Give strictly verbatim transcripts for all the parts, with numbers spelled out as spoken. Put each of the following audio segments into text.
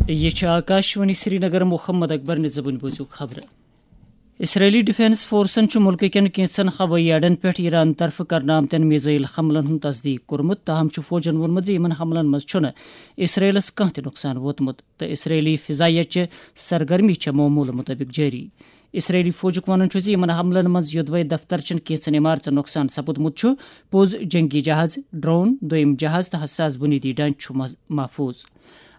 یہ چھِ آکاشوانی سرینگر۔ محمد اکبر نِظامٕنۍ بوٗزِو خبرٕ۔ اسرائیلی ڈیفنس فورسن چھُ مُلکہٕ کٮ۪ن کینٛژن ہوٲیی اڈن پٮ۪ٹھ ایران طرفہٕ کرنہٕ آمتٮ۪ن میزائل حملن ہُنٛد تصدیق کوٚرمُت، تاہم چھُ فوجن ووٚنمُت زِ یِمن حملن منٛز چھُنہٕ اسرائیلس کانٛہہ تہِ نۄقصان ووتمُت تہٕ اسرائیلی فضائیہ چہِ سرگرمی چھےٚ معموٗلہٕ مُطٲبِق جٲری۔ اسرائیلی فوجُک وَنُن چھُ زِ یِمَن حملَن منٛز یوٚدوَے دفتر چٮ۪ن کینٛژن عمارژن نۄقصان سپُدمُت چھُ، پوٚز جنگی جہاز، ڈرون، دوٚیِم جہاز تہٕ حساس بُنیٲدی ڈھانچہٕ چھُ مح-، محفوظ۔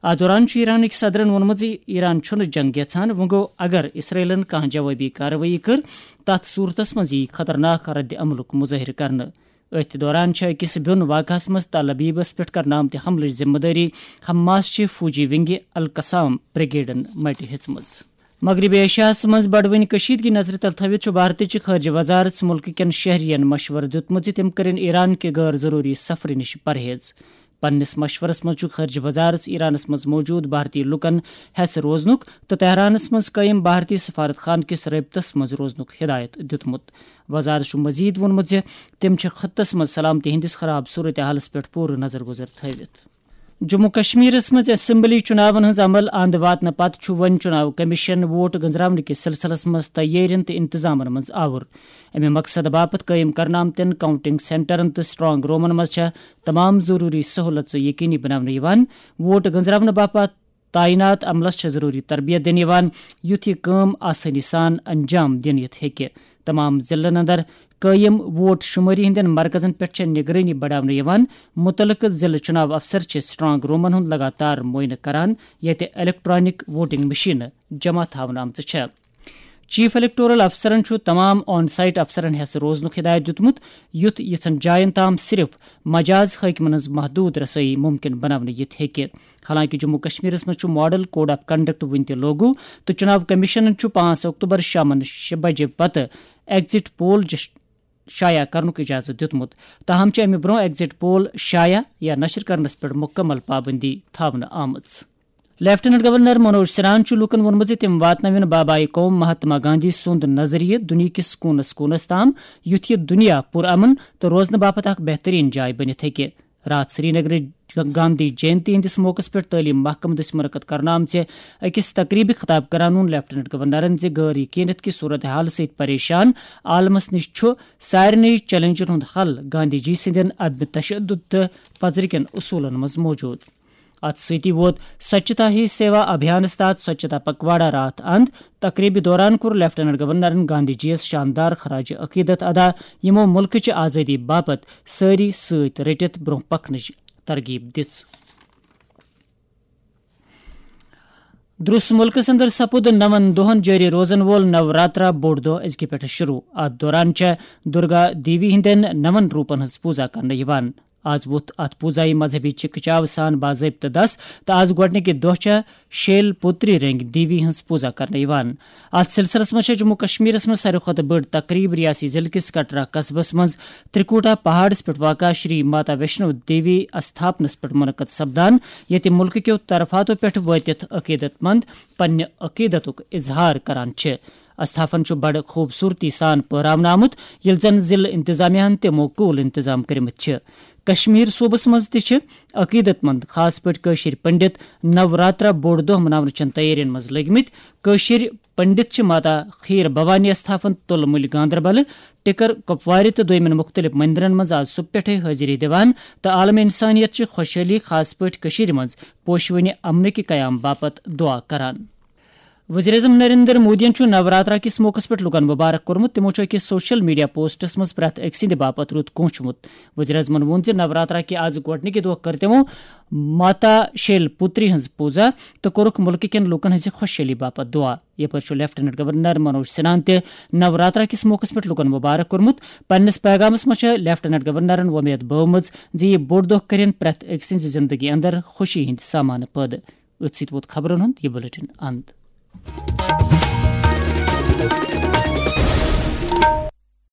اَتھ دوران چھُ ایرانٕکۍ صدرَن ووٚنمُت زِ ایران چھُنہٕ جنگ یژھان، وۄنۍ گوٚو اگر اسرائیلن کانٛہہ جوابی کاروٲیی کٔر، تَتھ صوٗرتَس منٛز یِیہِ خطرناک رد عملُک مظٲہرٕ کرنہٕ۔ أتھۍ دوران چھِ أکِس بیوٚن واقعس منٛز تل ابیبس پٮ۪ٹھ کرنہٕ آمتہِ حملٕچ ذمہٕ دٲری حماس چہِ فوجی ونگہِ القسام بریگیڈن مٹہِ ہیژمٕژ۔ مغربی ایشیاہس منٛز بڑوٕنۍ کشیدگی نظرِ تل تھٲوِتھ چھُ بھارتٕچ خارجہ وزارت مُلکہٕ کٮ۪ن شہرین مشورٕ دیُتمُت زِ تِم کٔرِن ایران کہِ غٲر ضروٗری سفرٕ نِش پرہیز۔ پننِس مشورس منٛز چھُ خارجہ وزارت ایرانس منٛز موجود بھارتی لوٗکن ہٮ۪س روزنُک تہٕ تہرانس منٛز قٲیِم بھارتی سفارت خانہٕ کِس رٲبطس منٛز روزنُک ہدایت دیُتمُت۔ وزارت چھُ مزید ووٚنمُت زِ تِم چھِ خطس منٛز سلامتی ہٕنٛدِس خراب صورتحالس پٮ۪ٹھ پوٗرٕ نظر گُزر تھٲوِتھ۔ جموں کشمیرس منٛز اسمبلی چُناون ہٕنٛز عمل اند واتنہٕ پتہٕ چھُ وۄنۍ چُناو کمیشن ووٹ گٔنزراونہٕ کِس سلسلس منٛز تیٲرین تہٕ انتظامن منٛز آوُر۔ امہِ مقصدٕ باپتھ قٲیِم کرنہٕ آمتٮ۪ن کاؤنٹنگ سینٹرن تہٕ سٹرانگ رومن منٛز چھےٚ تمام ضروٗری سہولژٕ یقینی بناونہٕ یِوان۔ ووٹ گٔنزراونہٕ باپتھ تعینات عملس چھےٚ ضروٗری تربیت دِنہٕ یِوان، یُتھ یہِ کٲم آسٲنی سان انجام دِنہٕ یِتھ ہیٚکہِ۔ تمام ضلعن اندر قٲیِم ووٹ شمٲری ہٕنٛدٮ۪ن مرکزن پٮ۪ٹھ چھےٚ نگرٲنی بڑاونہٕ یِوان۔ مُتعلقہٕ ضلعہٕ چُناو افسر چھِ سٹرانگ رومن ہُنٛد لگاتار معائنہٕ کران، ییٚتہِ الیکٹرانک ووٹنگ مشینہٕ جمع تھاونہٕ آمژٕ چھےٚ۔ چیف الیکٹورل افسرن چھُ تمام آن سائٹ افسرن ہٮ۪س روزنُک ہدایت دیُتمُت، یُتھ یِژھن جاین تام صرف مجاز حٲکمن ہٕنٛز محدود رسٲیی ممکن بناونہٕ یِتھ ہیٚکہِ۔ حالانکہ جموں کشمیرس منٛز چھُ ماڈل کوڈ آف کنڈکٹ وُنہِ تہِ لوگو تہٕ چُناو کمیشنن چھُ پانٛژھ اکتوبر شامن شےٚ بجے پتہٕ ایگزٹ پول جش-، شایع کرنُک اجازت دیُتمُت، تاہم چھِ امہِ برونٛہہ ایگزٹ پول شایع یا نشر کرنس پٮ۪ٹھ مکمل پابندی تھاونہٕ آمٕژ۔ لیفٹیننٹ گورنر منوج سنہاہن چھُ لوٗکَن ووٚنمُت زِ تِم واتناوَن بابائے قوم مہاتما گاندھی سُنٛد نظریہ دُنیاہکِس کوٗنس کوٗنس تام، یُتھ یہِ دُنیا پُرامن تہٕ روزنہٕ باپتھ اکھ بہترین جاے بٔنِتھ ہیٚکہِ۔ راتھ سرینگرٕچ گاندھی جینتی ہٕنٛدِس موقعس پٮ۪ٹھ تعلیٖم محکمہٕ دٔسۍ منعقد کرنہٕ آمژِ أکِس تقریٖبہِ خطاب کران ووٚن لیفٹیننٹ گورنرن زِ غٲر یقینیت کہِ صورتحال سۭتۍ پریشان عالمس نِش چھُ سارنٕے چیلنجن ہُنٛد حل گاندھی جی سٕنٛدٮ۪ن عدم تشدد تہٕ پزرٕکٮ۪ن اصوٗلن منٛز موجود۔ اتھ سۭتی ووت سوچھتا ہی سیوا ابھیانس تحت سوچھتا پکواڑا راتھ اند۔ تقریبہِ دوران کوٚر لیفٹیننٹ گورنرن گاندھی جی یس شاندار خراج عقیدت ادا، یِمو مُلکٕچہِ آزٲدی باپتھ سٲری سۭتۍ رٔٹِتھ برونٛہہ پکنٕچ ترغیب دِژ۔ درس مُلکس اندر سپُد نَوَن دۄہن جٲری روزن وول نوراترا بوٚڑ دۄہ أزکہِ پٮ۪ٹھٕ شروع۔ اتھ دوران چھےٚ درگا دیوی ہٕنٛدٮ۪ن نَوَن روٗپن ہٕنٛز پوٗزا کرنہٕ یِوان۔ آز ووٚتھ اتھ پوٗزایہِ مذہبی چکہ چاو سان باضٲبطہٕ دس تہٕ آز گۄڈنِکہِ دۄہ چھےٚ شیل پُتری رنگۍ دیوی ہٕنٛز پوٗزا کرنہٕ یِوان۔ اتھ سلسلس منٛز چھےٚ جموں کشمیرس منٛز ساروی کھۄتہٕ بٔڑ تقریب ریاستی ضلعہٕ کِس کٹرا قصبس منٛز ترکوٹا پہاڑس پٮ۪ٹھ واقع شری ماتا ویشنو دیوی استھاپنس پٮ۪ٹھ منعقد سپدان، ییٚتہِ مُلکہٕ کیو طرفاتو پٮ۪ٹھ وٲتِتھ عقیدت مند پننہِ عقیدتُک اظہار کران چھِ۔ استھاپن چھُ بڑٕ خوٗبصوٗرتی سان پٲراونہٕ آمُت، ییٚلہِ زن ضلعہٕ انتظامیہ ہن تہِ موکوٗل انتظام کٔرمٕتۍ چھِ۔ کشمیر صوبس منٛز تہِ چھِ عقیدت مند، خاص پٲٹھۍ کٲشِرۍ پنڈت، نوراترا بوٚڑ دۄہ مناونہٕ چٮ۪ن تیٲرین منٛز لٔگۍ مٕتۍ۔ کٲشِرۍ پنڈت چھِ ماتا خیٖر بھوانی استھاپن تُلہٕ مُلۍ گاندربلہٕ، ٹِکر کپوارِ تہٕ دوٚیمٮ۪ن مُختٔلِف مندرن منٛز آز صُبح پٮ۪ٹھٕے حٲضِری دِوان تہٕ عالم انسانیت چہِ خۄشحٲلی، خاص پٲٹھۍ کٔشیٖرِ منٛز پوشوٕنہِ امنہٕ کہِ قیام باپتھ دُعا کران۔ وزیر اعظم نریندر مودیَن چھُ نوراترا کِس موقعس پٮ۪ٹھ لوٗکَن مُبارک کوٚرمُت۔ تِمَو چھُ أکِس سوشل میڈیا پوسٹَس منٛز پرٛٮ۪تھ أکۍ سٕنٛدِ باپتھ رُت کونٛچھمُت۔ وزیر اعظمَن ووٚن زِ نوراترا کہِ آز گۄڈٕنِکہِ دۄہ کٔر تِمَو ماتا شیل پُتری ہٕنٛز پوٗزا تہٕ کوٚرُکھ مُلکہٕ کٮ۪ن لوٗکَن ہٕنٛزِ خۄشحٲلی باپتھ دُعا۔ یَپٲرۍ چھُ لیفٹیننٹ گورنر منوج سنہاہَن تہِ نوراترا کِس موقعس پٮ۪ٹھ لوٗکَن مُبارک کوٚرمُت۔ پننِس پیغامَس منٛز چھےٚ لیفٹیننٹ گورنرَن وۄمید بٲومٕژ زِ یہِ بوٚڑ دۄہ کٔرِن پرٛٮ۪تھ أکۍ سٕنٛزِ زِندگی اندر خوشی ہٕنٛدۍ سامانہٕ پٲدٕ۔ أتھۍ سۭتۍ ووت خبرن ہُنٛد یہِ بلیٹن اند۔